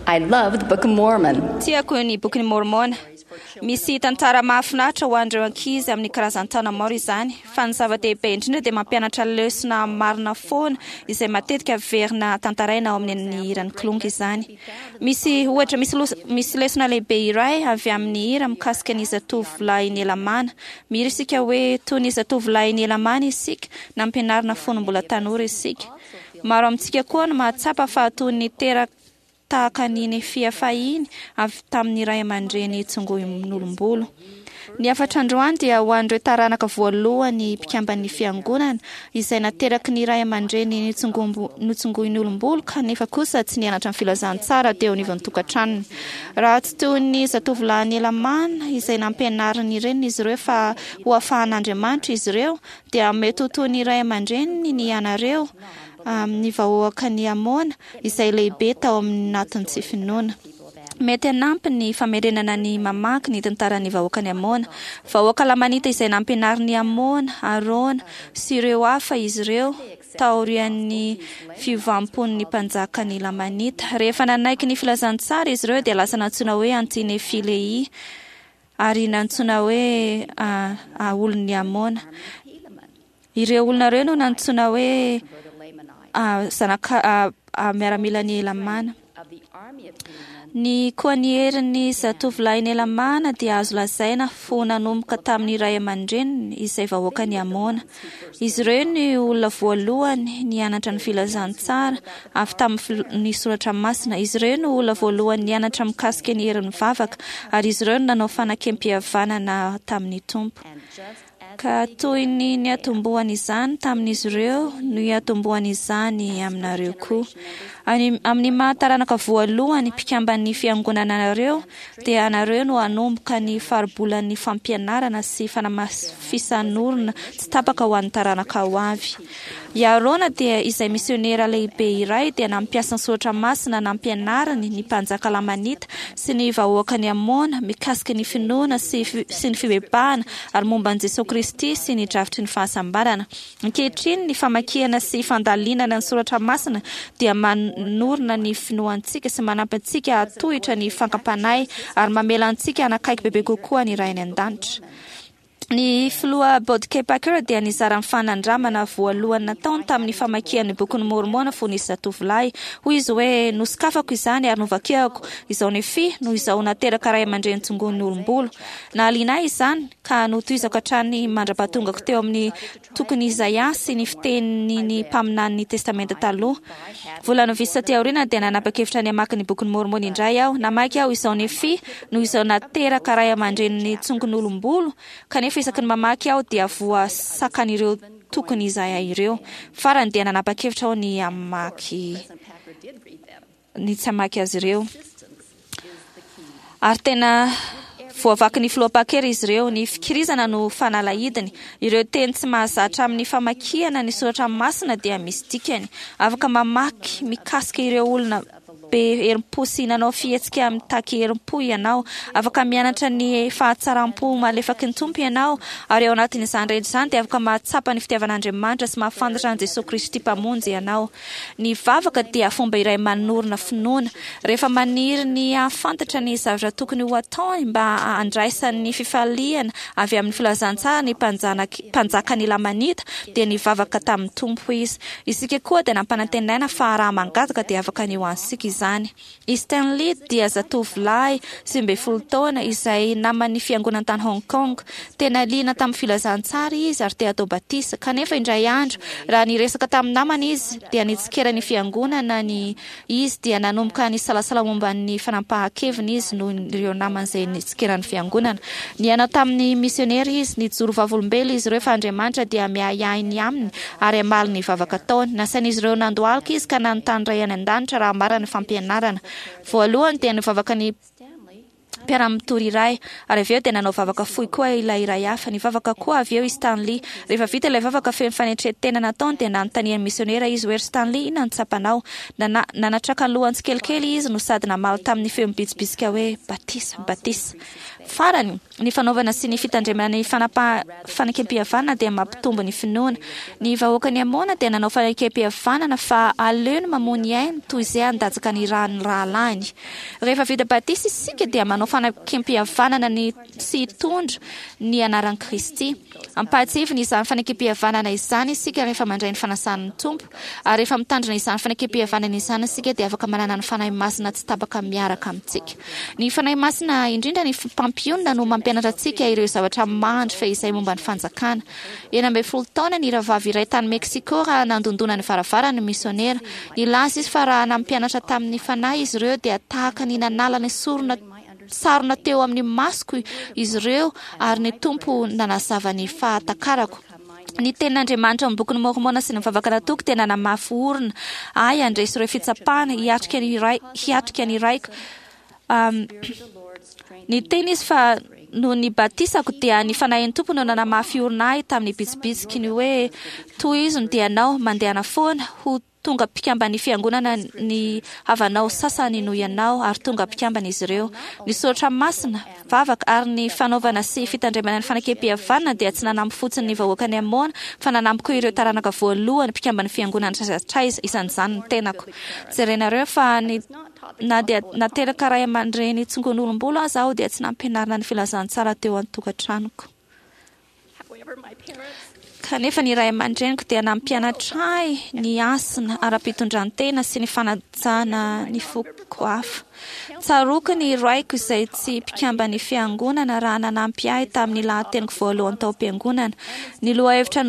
I love the Book of Mormon. Tiako ny Bokin'i Môrmôna. Misy tantara mahafinaritra ho an'ireo ankizy amin'ny karazan-taona maro izany, fa ny zava-dehibe indrindra dia mampianatra lesona marina foana izay matetika averina tantaraina ao amin'ny hiran'ny Kilonga izany. Misy ohatra, misy misy lesona lehibe iray avy amin'ny hira mikasika ny zatovolahin'i Helamàna. Mihira isika hoe, Toy ny zatovolahin'i Helamàna isika, nampianarina fony mbola tanora isika. Maro amintsika koa no mahatsapa fa toy ny teraka tahaka ny Nefia fahiny avy tamin'ny ray aman-dreny tsongoin'olom-bolo. Ny hafatra androany dia ho an'ireo taranaka voalohany mpikamban'ny Fiangonana izay nateraky ny ray aman-dreny notsongoin'olom-bolo kanefa kosa tsy nianatra ny filazantsara teo anivon'ny tokantranony. Raha tsy toy ny zatovolahin'i Helamàna izay nampianarin'ny reniny izy ireo fa ho afahan'Andriamanitra izy ireo dia mety ho toy ny ray aman-dreniny ny ianareo amin'ny vahoakan'i Amôna izay lehibe tao anatin'ny tsy finoana. Mety hanampy ny famerenana ny mamaky ny tantaran'ny vahoakan'i Amôna. Vahoaka Lamanita izay nampianarin'i Amôna, Arona, sy ireo hafa izy ireo taorian'ny fiovam-pon'ny mpanjakan'ny Lamanita. Rehefa nanaiky ny filazantsara izy ireo dia lasa nantsoina hoe Anti-Nefi-Lehia. Ary nantsoina hoe olon'i Amona. Ireo olona ireo no nantsoina hoe zanaka miaramilan'i Helamàna. Ny koa ny herin'ny zatovolahin'i Helamàna dia azo lazaina ho nanomboka tamin'ny ray aman-dreniny izay vahoakan'i Amona. Izy ireo no olona voalohany nianatra ny filazantsara avy tamin'ny soratra masina. Izy ireo no olona voalohany nianatra mikasika ny herin'ny vavaka, ary izy ireo no nanao fanakem-pihavanana tamin'ny Tompo. Ka toy ny niatombohan'izany tamin'izy ireo no hiatombohan'izany aminareo koa. Amin'ny maha taranaka voalohany mpikamban'ny Fiangonana anareo, dia anareo no hanomboka ny faribolan'ny fampianarana sy fanamafisan'orina tsy tapaka ho an'ny taranaka ho avy. I Arona dia izay misionera lehibe iray dia nampiasa ny soratra masina nampianariny ny mpanjaka Lamanita sy ny vahoakan'i Amôna mikasika ny finoana sy sy ny fibebahana ary momba an'i Jesoa Kristy sy ny drafitry ny fahasambarana. Ankehitriny ny famakiana sy fandalinana ny soratra masina dia manorina ny finoantsika sy manampy antsika hahatohitra ny fankam-panahy ary mamela antsika hanakaiky bebe kokoa ny Ray any An-danitra. Ny Filoha Boyd K. Packer dia nizara ny fanandramana voalohany nataony tamin'ny famakiany ny Bokin'i Môrmôna fony izy zatovolahy. Hoy izy hoe, Nosokafako izany ary novakiako, Izao Nefia, noho izaho nateraka ray aman-dreny tsongoin'ny olom-bolo. Nahaliana ahy izany, ka notohizako hatrany mandra-pahatongako teo amin'ny tokon'i Izaia sy ny fitenin'ny mpaminanin'ny Testamenta Taloha. Volana vitsy taty aoriana dia nanapa-kevitra ny hamaky ny Bokin'i Môrmôna indray aho. Namaky aho izao Nefia, noho izao nateraka ray aman-drenin'ny tsongon'olom-bolo, kanefa isaky ny mamaky aho dia voasakan'ireo tokon'i Izaia ireo. Farany dia nanapa-kevitra aho ny hamaky ny tsy hamaky azy ireo. Ary tena voavakin'ny Filoha Packer izy ireo. Ny fikirizana no fanalahidiny. Ireo teny tsy mahazatra amin'ny famakiana ny soratra masina dia misy dikany. Afaka mamaky mikasika ireo olona be herim-po sy nanao fihetsika mitaky herim-po ianao. Afaka mianatra ny fahatsaram-po malefaky ny Tompo ianao, ary ao anatin'izany rehetra izany dia afaka mahatsapa ny fitiavan'Andriamanitra sy mahafantatra an'i Jesoa Kristy Mpamonjy ianao. Ny vavaka dia fomba iray manorina finoana. Rehefa maniry ny hahafantatra ny zavatra tokony ho ataony mba handraisany ny fifaliana avy amin'ny filazantsara ny mpanjakan'ny Lamanita, dia nivavaka tamin'ny Tompo izy. Isika koa dia nampanantenaina fa raha mangataka dia afaka ny ho antsika izany. I Stanley dia zatovolahy 19 taona izay naman'ny fiangonana tany Hong Kong. Tena liana tamin'ny filazantsara izy ary te hatao batisa. Kanefa indray andro, raha niresaka tamin'ny namany izy, dia nitsikera ny fiangonana ny izy dia nanomboka nisalasala momba ny fanapahan-keviny izy noho ireo namany izay nitsikera ny fiangonana. Niaina tamin'ny misionera izy. Nijoro vavolombelona izy ireo fa Andriamanitra dia miahiahy ny aminy ary hamaly ny vavaka ataony. Nasain'izy ireo nandohalika izy ka nanontany Ray any An-danitra raha marina ny fampianarana. Voalohany dia nivavaka ny Mpiara-mitory iray, ary avy eo dia nanao vavaka fohy koa ilay iray hafa. Nivavaka koa avy eo i Stanley. Rehefa vita ilay vavaka feno fanetren-tena nataony, dia nanontanian'ny misionera izy hoe, Ry Stanley, inona no tsapanao? Nana, nanatraka ny lohany tsikelikely izy no sady namaly tamin'ny feo mibitsibitsika hoe, Batisa, batisa. Farany, ny fanaovana sy ny fitandremana ny fanapa, fanekempihavanana dia mampitombo ny finoana. Ny vahoakan'i Amona dia nanao fanekempihavanana fa aleony mamoa ny ainy toy izay handatsaka ny ran'ny rahalahiny. Rehefa vita batisa isika dia manao fanekempihavanana ny sy hitondra ny anaran'i Kristy. Ampahatsiahivina izany fanekempihavanana izany isika rehefa mandray ny fanasan'ny Tompo. Ary rehefa mitandrina izany fanekempihavanana izany isika dia afaka manana ny Fanahy Masina tsy tapaka miaraka amintsika. Ny Fanahy Masina, indrindra ny Mpampionona no mampianatra antsika ireo zavatra mandry fehizay momba ny fanjakana. 16 taona ny rahavavy iray tany Mexico raha nandondona ny varavarany ny misionera. Nilaza izy fa raha nampianatra tamin'ny Fanahy izy ireo dia tahaka ny nanala ny sorona sarona teo amin'ny masoko izy ireo ary ny Tompo nanazava ny fahatakarako. Ny tenin'Andriamanitra ao amin'ny Bokin'i Môrmôna sy ny vavaka nataoko dia nanamafy orina ahy handresy ireo fitsapana, hiatrika ny ray, hiatrika ny raiko. Um, niteny izy fa noho ny batisako dia ny Fanahin'ny Tompo no nanamafy orina ahy tamin'ny bitsibitsiky ny hoe, Tohizo ny dianao, mandehana foana, ho Tonga mpikamban'ny Fiangonana ny havanao sasany noho ianao, ary tonga mpikambana izy ireo. Ny soratra masina, vavaka, ary ny fanaovana sy fitandremana ny fanekempihavanana dia tsy nanampy fotsiny ny vahoakan'i Amôna, fa nanampy koa ireo taranaka voalohany mpikamban'ny Fiangonana hatraiza hatraiza, isan'izany ny tenako. Jerenareo fa ny na dia nateraka ray aman-dreny tsongon'olom-bolo aza aho dia tsy nampianarina ny filazantsara teo an-tokantranoko. Kanefa ny ray aman-dreniko dia nampianatra ahy ny hasina ara-pitondran-tena sy ny fanajana ny foko hafa. Tsaroako ny raiko izay tsy mpikamban'ny fiangonana raha nanampy ahy tamin'ny lahateniko voalohany tao am-piangonana. Ny lohahevitra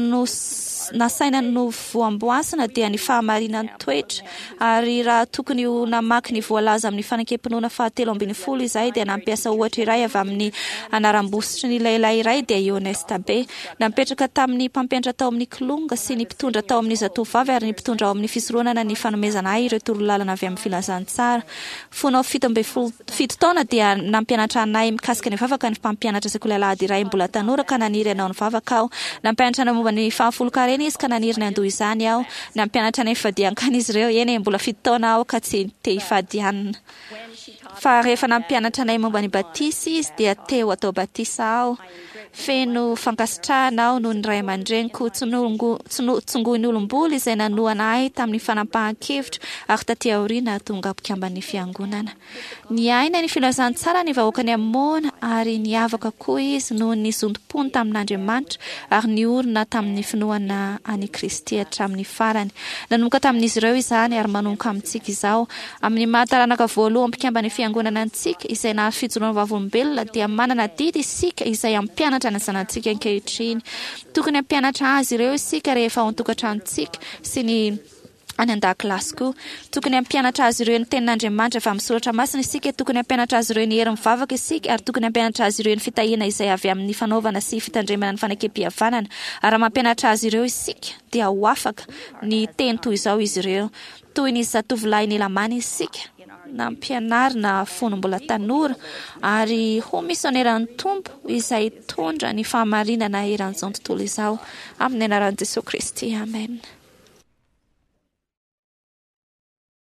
nasaina novoamboasina dia ny fahamarinan'ny toetra, ary raha tokony ho namaky ny voalaza amin'ny Fanekem-pinoana fahatelo ambin'ny folo izahay dia nampiasa ohatra iray avy amin'ny anaram-bositry ny lehilahy iray dia i Honest Abe. Napetraka tamin'ny mpampianatra tao amin'ny Kilonga sy ny mpitondra tao amin'ny Zatovovavy ary ny mpitondra ao amin'ny fisoronana ny fanomezana ahy ireo torolalana avy amin'ny filazantsara. Fony aho 17, 7 taona dia nampianatra anay mikasika ny vavaka ny mpampianatra sekoly alahady iray mbola tanora ka naniry hanao ny vavaka aho. Nampianatra anay momba ny fahafolonkarena izy ka naniry ny handoa izany aho. Nampianatra anay fifadian-kanina izy ireo. Eny e, mbola 7 taona aho ka tsy te hifady hanina. Fa rehefa nampianatra anay momba ny batisa izy dia te ho atao batisa aho. Feno fankasitrahana aho noho ny ray aman-dreniko tsongoin'olom-bolo izay nanohana ahy tamin'ny fanapahan-kevitro ary taty aoriana tonga mpikamban'ny Fiangonana. Niaina ny filazantsara ny vahoakan'i Amôna ary niavaka koa izy noho ny zotom-pony tamin'Andriamanitra ary niorina tamin'ny finoana an'i Kristy hatramin'ny farany. Nanomboka tamin'izy ireo izany ary manomboka amintsika izao. Amin'ny maha taranaka voalohany mpikamban'ny Fiangonana antsika, izay nahazo fijoroana vavolombelona, dia manana adidy isika izay hampianatra ny zanatsika ankehitriny. Tokony hampianatra azy ireo isika rehefa ao an-tokantranontsika sy ny any an-dakilasy koa. Tokony hampianatra azy ireo ny Tenin'Andriamanitra avy amin'ny Soratra Masina isika, tokony hampianatra azy ireo ny herin'ny vavaka isika, ary tokony hampianatra azy ireo ny fitahiana izay avy amin'ny fanaovana sy fitandremana ny fanekempihavanana. Ary raha mampianatra azy ireo isika, dia ho afaka ny hiteny toy izao izy ireo, Toy ny zatovolahin'i Lamana isika, nampianarina fony mbola tanora, ary ho misioneran'ny Tompo izay hitondra ny fahamarinana eran'izao tontolo izao. Amin'ny anaran'i Jesoa Kristy, amena.